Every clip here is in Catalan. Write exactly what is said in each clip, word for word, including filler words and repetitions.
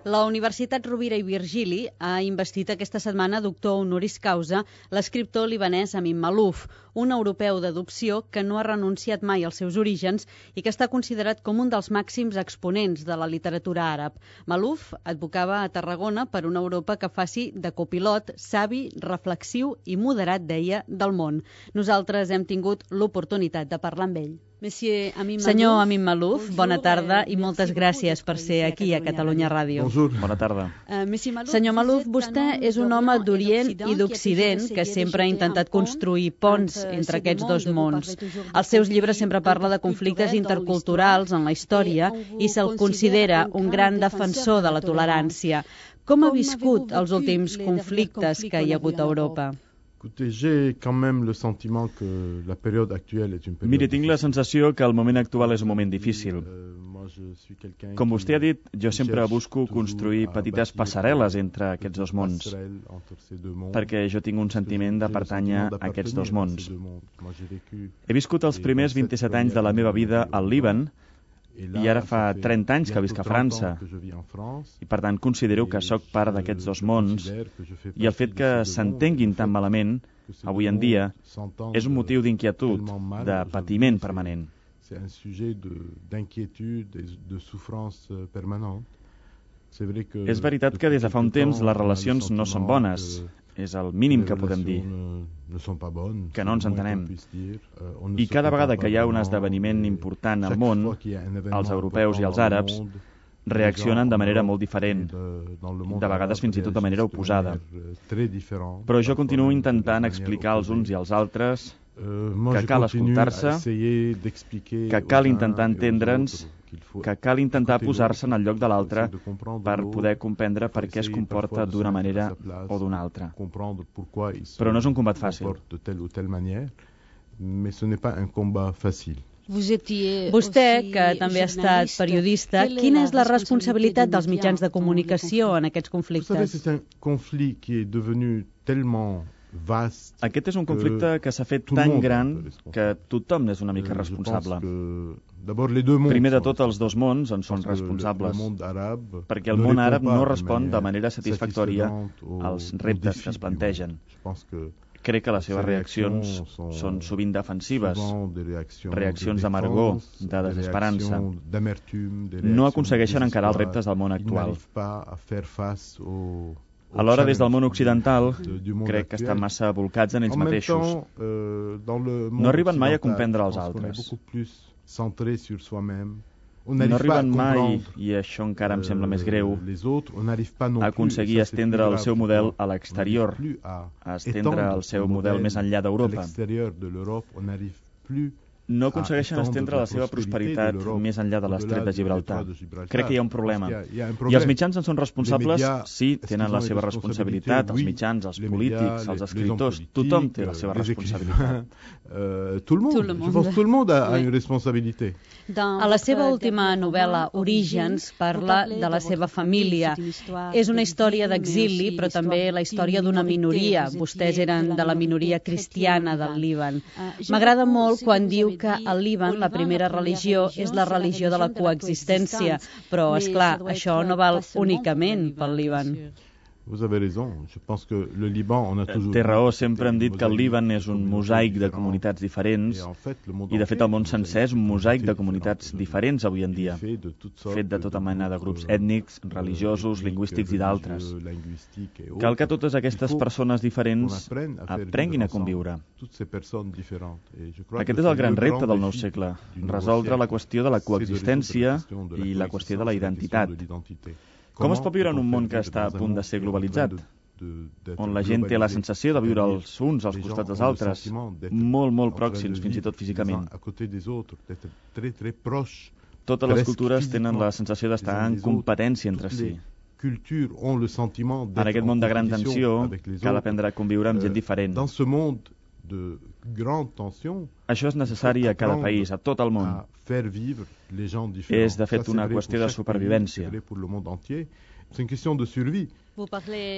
La Universitat Rovira i Virgili ha investit aquesta setmana doctor honoris causa l'escriptor libanès Amin Maalouf, un europeu d'adopció que no ha renunciat mai als seus orígens i que està considerat com un dels màxims exponents de la literatura àrab. Maalouf advocava a Tarragona per una Europa que faci de copilot savi, reflexiu i moderat, deia, del món. Nosaltres hem tingut l'oportunitat de parlar amb ell. Senyor Amin Maalouf, bona tarda i moltes gràcies per ser aquí a Catalunya Ràdio. Bona tarda. Senyor Maalouf, vostè és un home d'Orient i d'Occident que sempre ha intentat construir ponts entre aquests dos mons. Als seus llibres sempre parla de conflictes interculturals en la història i se'l considera un gran defensor de la tolerància. Com ha viscut els últims conflictes que hi ha hagut a Europa? Miri, tinc la sensació que el moment actual és un moment difícil. Com vostè ha dit, jo sempre busco construir petites passarel·les entre aquests dos mons, perquè jo tinc un sentiment de pertànyer a aquests dos mons. He viscut els primers vint-i-set anys de la meva vida al Líban, i ara fa trenta anys que visc a França, i per tant considero que sóc part d'aquests dos mons, i el fet que s'entenguin tan malament, avui en dia, és un motiu d'inquietud, de patiment permanent. És veritat que des de fa un temps les relacions no són bones, és el mínim que podem dir, que no ens entenem. I cada vegada que hi ha un esdeveniment important al món, els europeus i els àrabs reaccionen de manera molt diferent, de vegades fins i tot de manera oposada. Però jo continuo intentant explicar als uns i als altres que cal escoltar-se, que cal intentar entendre'ns, que cal intentar posar-se en el lloc de l'altre per poder comprendre per què es comporta d'una manera o d'una altra. Però no és un combat fàcil. Vostè, que també ha estat periodista, quina és la responsabilitat dels mitjans de comunicació en aquests conflictes? Aquest és un conflicte que s'ha fet tan gran que tothom n'és una mica responsable. Primer de tot, els dos mons en són responsables, perquè el món àrab no respon de manera satisfactòria als reptes que es plantegen. Crec que les seves reaccions són sovint defensives, reaccions d'amargor, de desesperança. No aconsegueixen encarar els reptes del món actual. Alhora, des del món occidental, crec que estan massa volcats en ells mateixos. No arriben mai a comprendre els altres. No arriben mai, i això encara em sembla més greu, a aconseguir estendre el seu model a l'exterior, a estendre el seu model més enllà d'Europa. No aconsegueixen estendre la seva prosperitat més enllà de l'estret de Gibraltar. Crec que hi ha un problema. I els mitjans en són responsables? Sí, tenen la seva responsabilitat, els mitjans, els polítics, els escriptors, tothom té la seva responsabilitat. A la seva última novel·la, Orígens, parla de la seva família. És una història d'exili, però també la història d'una minoria. Vostès eren de la minoria cristiana del Líban. M'agrada molt quan diu que al Líban la primera religió és la religió de la coexistència, però, és clar, això no val únicament pel Líban. Té raó, sempre hem dit que el Líban és un mosaic de comunitats diferents i de fet el món sencer és un mosaic de comunitats diferents avui en dia, fet de tota mena de grups ètnics, religiosos, lingüístics i d'altres. Cal que totes aquestes persones diferents aprenguin a conviure. Aquest és el gran repte del nou segle, resoldre la qüestió de la coexistència i la qüestió de la identitat. Com es pot viure en un món que està a punt de ser globalitzat, on la gent té la sensació de viure els uns als costats dels altres, molt, molt pròxims, fins i tot físicament? Totes les cultures tenen la sensació d'estar en competència entre si. En aquest món de gran tensió, cal aprendre a conviure amb gent diferent. Això és necessari a cada país, a tot el món. És, de fet, una qüestió de supervivència.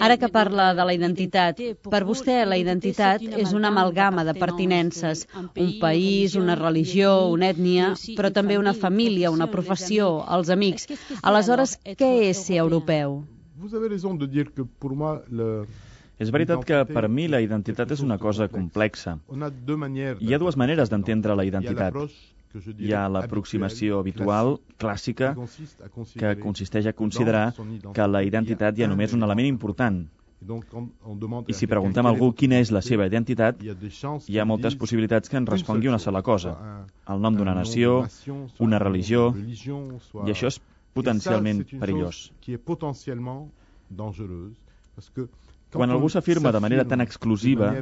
Ara que parla de la identitat, per vostè la identitat és una amalgama de pertinences, un país, una religió, una ètnia, però també una família, una professió, els amics. Aleshores, què és ser europeu? És veritat que per mi la identitat és una cosa complexa. Hi ha dues maneres d'entendre la identitat. Hi ha l'aproximació habitual, clàssica, que consisteix a considerar que la identitat hi ha només un element important. I si preguntem a algú quina és la seva identitat, hi ha moltes possibilitats que ens respongui una sola cosa. El nom d'una nació, una religió, i això és potencialment perillós. Quan algú s'afirma de manera tan exclusiva,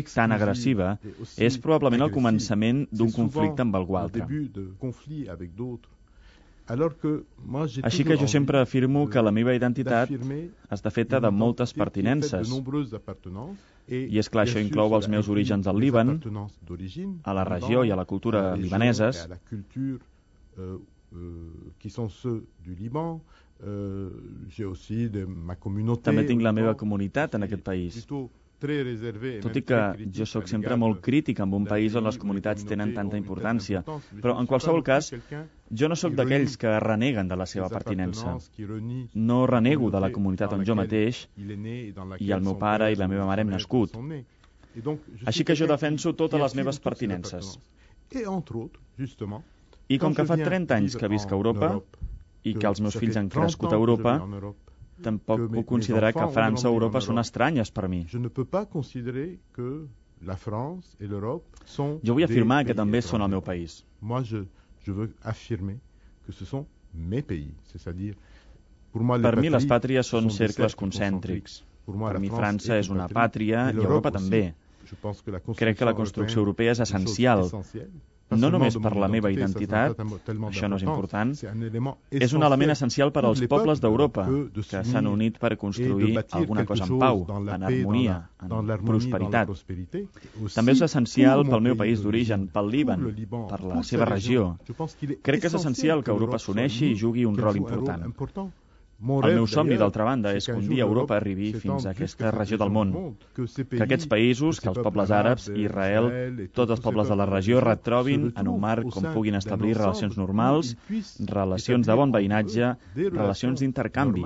tan agressiva, és probablement el començament d'un conflicte amb algú altre. Així que jo sempre afirmo que la meva identitat està feta de moltes pertinences. I és clar, això inclou els meus orígens al Líban, a la regió i a la cultura libaneses, també tinc la meva comunitat en aquest país. Tot i que jo sóc sempre molt crític amb un país on les comunitats tenen tanta importància, però en qualsevol cas, jo no sóc d'aquells que reneguen de la seva pertinença. No renego de la comunitat on jo mateix i el meu pare i la meva mare hem nascut. Així que jo defenso totes les meves pertinences. I com que fa trenta anys que visc a Europa, i que els meus fills han crescut a Europa, tampoc puc considerar que França o Europa són estranyes per mi. Jo vull afirmar que també són el meu país. Per mi les pàtries són cercles concèntrics. Per mi França és una pàtria i Europa també. Crec que la construcció europea és essencial. No només per la meva identitat, això no és important, és un element essencial per als pobles d'Europa, que s'han unit per construir alguna cosa en pau, en harmonia, en prosperitat. També és essencial pel meu país d'origen, pel Líban, per la seva regió. Crec que és essencial que Europa s'uneixi i jugui un rol important. El meu somni, d'altra banda, és que un dia Europa arribi fins a aquesta regió del món. Que aquests països, que els pobles àrabs, Israel, tots els pobles de la regió retrobin en un marc on puguin establir relacions normals, relacions de bon veïnatge, relacions d'intercanvi.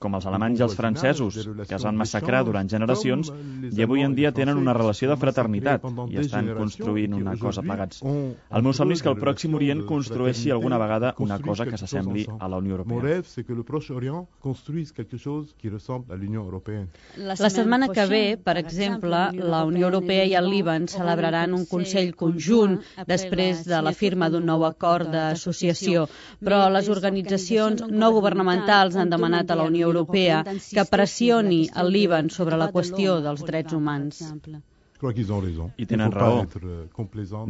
Com els alemanys i els francesos, que es van massacrar durant generacions i avui en dia tenen una relació de fraternitat i estan construint una cosa plegats. El meu somni és que el Pròxim Orient construeixi alguna vegada una cosa que s'assembli a la Unió Europea. c'est que le Proche-Orient construise quelque chose qui ressemble à l'Union européenne. La setmana que ve, per exemple, la Unió Europea i el Líban celebraran un Consell conjunt després de la firma d'un nou acord d'associació, però les organitzacions no governamentals han demanat a la Unió Europea que pressioni el Líban sobre la qüestió dels drets humans. I tenen raó.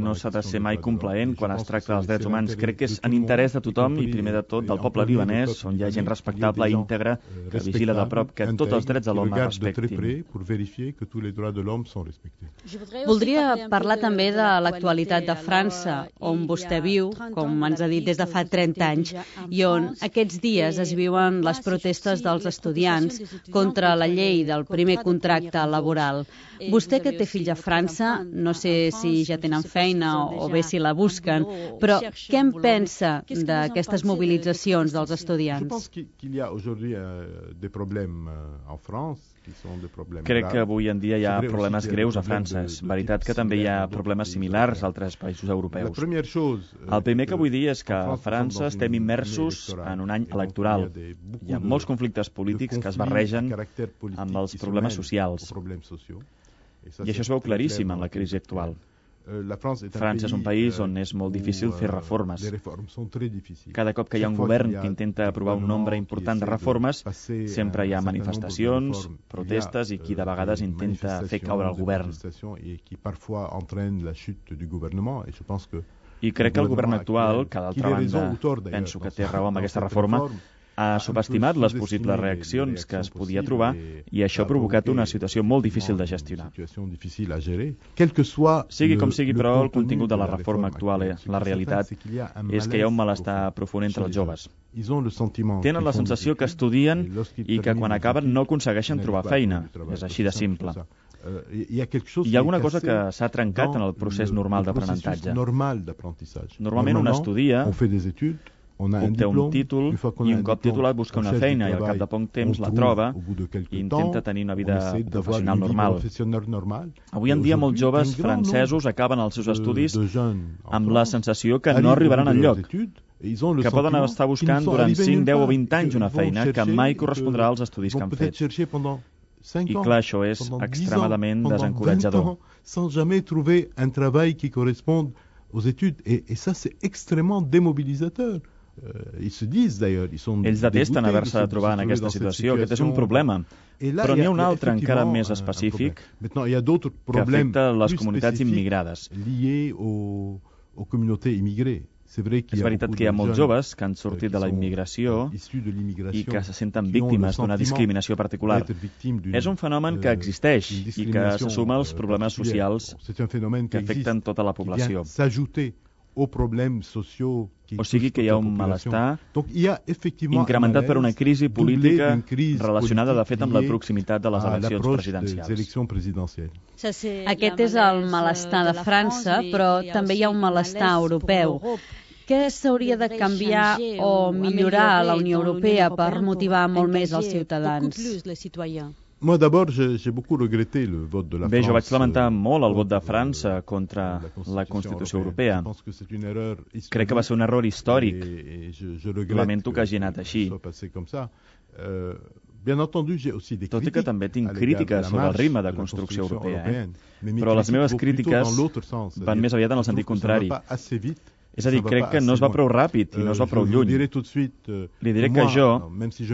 No s'ha de ser mai complaent quan es tracta dels drets humans. Crec que és en interès de tothom i primer de tot del poble libanès, on hi ha gent respectable i íntegra que vigila de prop que tots els drets de l'home es respectin. Voldria parlar també de l'actualitat de França, on vostè viu, com ens ha dit des de fa trenta anys, i on aquests dies es viuen les protestes dels estudiants contra la llei del primer contracte laboral. Vostè que té fills a França, no sé si ja tenen feina o bé si la busquen, però què en pensa d'aquestes mobilitzacions dels estudiants? Crec que avui en dia hi ha problemes greus a França. És veritat que també hi ha problemes similars a altres països europeus. El primer que vull dir és que a França estem immersos en un any electoral. Hi ha molts conflictes polítics que es barregen amb els problemes socials. I això es veu claríssim en la crisi actual. França és un país on és molt difícil fer reformes. Cada cop que hi ha un govern que intenta aprovar un nombre important de reformes, sempre hi ha manifestacions, protestes i qui de vegades intenta fer caure el govern. I crec que el govern actual, que d'altra banda penso que té raó amb aquesta reforma, ha subestimat les possibles reaccions que es podia trobar i això ha provocat una situació molt difícil de gestionar. Sigui com sigui, però, el contingut de la reforma actual, la realitat, és que hi ha un malestar profund entre els joves. Tenen la sensació que estudien i que quan acaben no aconsegueixen trobar feina. És així de simple. Hi ha alguna cosa que s'ha trencat en el procés normal d'aprenentatge. Normalment un estudia, obté un títol i un cop titulat busca una feina i al cap de poc temps la troba i intenta tenir una vida professional normal. Avui en dia molts joves francesos acaben els seus estudis amb la sensació que no arribaran enlloc, que poden estar buscant durant cinc, deu o vint anys una feina que mai correspondrà als estudis que han fet. I clar, això és extremadament desencoratjador. Sans jamais trouver un travail qui corresponde aux études. Et, et ça, c'est extrêmement démobilisateur. Ells detesten haver-se de trobar en aquesta situació. Aquest és un problema. Però n'hi ha un altre encara més específic que afecta les comunitats immigrades. És veritat que hi ha molts joves que han sortit de la immigració i que se senten víctimes d'una discriminació particular. És un fenomen que existeix i que se suma als problemes socials que afecten tota la població. O sigui que hi ha un malestar incrementat per una crisi política relacionada, de fet, amb la proximitat de les eleccions presidencials. Aquest és el malestar de França, però també hi ha un malestar europeu. Què s'hauria de canviar o millorar a la Unió Europea per motivar molt més els ciutadans? Moi d'abord, j'ai beaucoup regretté le vote de la France. Bé, jo vaig lamentar molt el vot de França contra la Constitució Europea. Crec que va ser un error històric. Lamento que hagi anat així. Tot i que també tinc crítiques sobre el ritme de construcció europea, eh? Però les meves crítiques van més aviat en el sentit contrari. És a dir, crec que no es va prou ràpid i no es va prou lluny. Li diré que jo,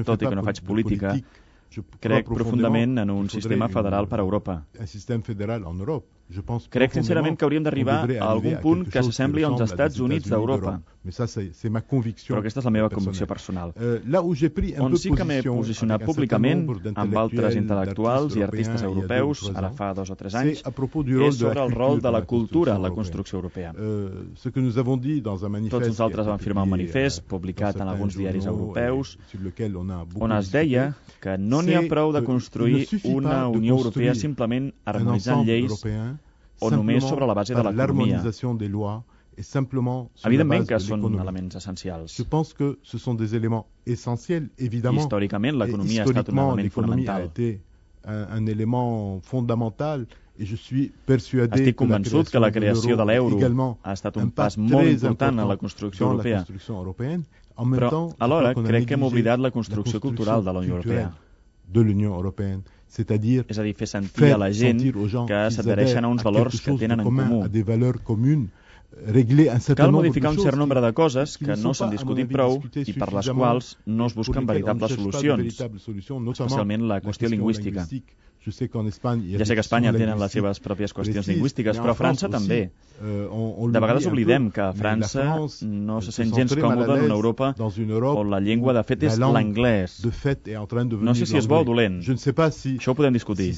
tot i que no faig política, crec profundament en un sistema federal per a Europa. Crec sincerament que hauríem d'arribar a algun punt que s'assembli als Estats Units d'Europa. Però aquesta és la meva convicció personal. On sí que m'he posicionat públicament amb altres intel·lectuals i artistes europeus, ara fa dos o tres anys, és sobre el rol de la cultura en la construcció europea. Tots nosaltres vam firmar un manifest publicat en alguns diaris europeus on es deia que no n'hi ha prou de construir una Unió Europea simplement harmonitzant lleis o només sobre la base de l'economia. Evidentment que són elements essencials. Històricament, l'economia ha estat un element fonamental. Estic convençut que la creació de l'euro ha estat un pas molt important en la construcció europea. Però, alhora, crec que hem oblidat la construcció cultural de la Unió Europea. És a dir, fer sentir a la gent que s'adhereixen a uns valors que tenen en comú. Cal modificar un cert nombre de coses que no s'han discutit prou i per les quals no es busquen veritables solucions, especialment la qüestió lingüística. Ja sé que a Espanya tenen les seves pròpies qüestions lingüístiques, però a França també. De vegades oblidem que a França no se sent gens còmode en una Europa on la llengua de fet és l'anglès. No sé si és bo o dolent. Això ho podem discutir.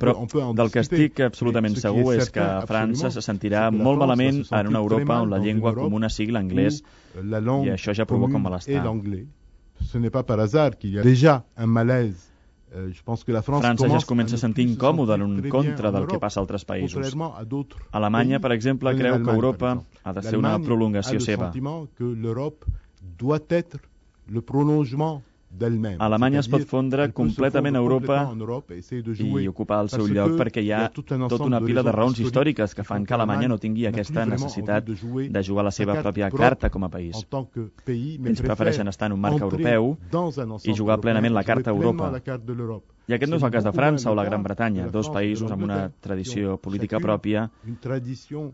Però del que estic absolutament segur és que a França se sentirà molt malament en una Europa on la llengua comuna sigui l'anglès i això ja provoca un malestar. Ce n'est pas par hasard qu'il y a déjà un malaise. Euh, je pense que la France França ja es comença a sentir incòmoda en contra del que passa a altres països. Alemanya, per exemple, creu que Europa ha de ser una prolongació seva. Alemanya es pot fondre completament a Europa i ocupar el seu lloc perquè hi ha tota una pila de raons històriques que fan que Alemanya no tingui aquesta necessitat de jugar la seva pròpia carta com a país. Ells prefereixen estar en un marc europeu i jugar plenament la carta a Europa. I aquest no és el cas de França o la Gran Bretanya, dos països amb una tradició política pròpia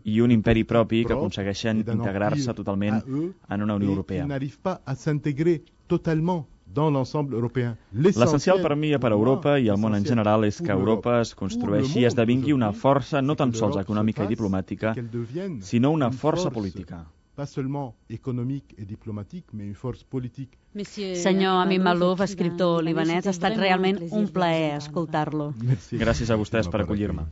i un imperi propi que aconsegueixen integrar-se totalment en una Unió Europea. L'essencial per mi i per Europa i el món en general és que Europa es construeixi i esdevingui una força no tan sols econòmica i diplomàtica, sinó una força política. pas seulement économique et diplomatique, mais une force politique. Senyor Amin Maalouf, escriptor libanès, ha estat realment un plaer escoltar-lo. Gràcies a vostès per acollir-me.